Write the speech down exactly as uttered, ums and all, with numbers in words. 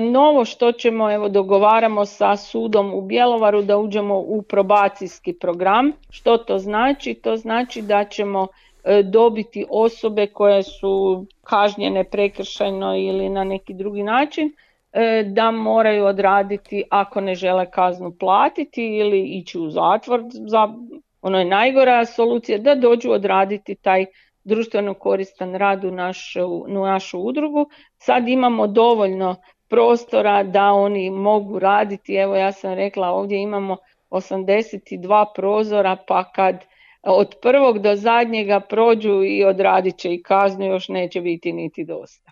Novo što ćemo, evo dogovaramo sa sudom u Bjelovaru da uđemo u probacijski program. Što to znači? To znači da ćemo dobiti osobe koje su kažnjene prekršajno ili na neki drugi način, da moraju odraditi, ako ne žele kaznu platiti ili ići u zatvor, za, ono je najgora solucija, da dođu odraditi taj društveno koristan rad u našu, u našu udrugu. Sad imamo dovoljno prostora da oni mogu raditi. Evo ja sam rekla, ovdje imamo osamdeset dva prozora, pa kad od prvog do zadnjega prođu i odradit će i kaznu, još neće biti niti dosta.